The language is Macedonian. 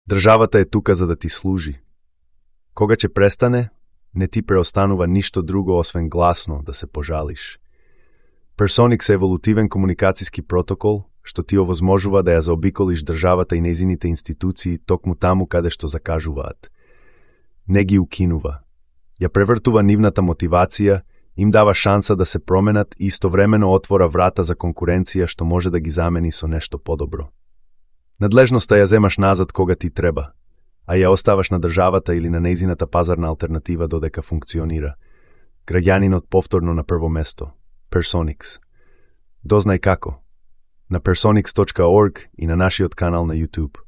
Државата е тука за да ти служи. Кога ќе престане, не ти преостанува ништо друго освен гласно да се пожалиш. Personix е еволутивен комуникацијски протокол што ти овозможува да ја заобиколиш државата и нејзините институции токму таму каде што закажуваат. Не ги укинува. Ја превртува нивната мотивација, им дава шанса да се променат и истовремено отвора врата за конкуренција што може да ги замени со нешто подобро. Надлежноста ја земаш назад кога ти треба, а ја оставаш на државата или на нејзината пазарна алтернатива додека функционира. Граѓанинот повторно на прво место. Personix. Дознај како. На personix.org и на нашиот канал на YouTube.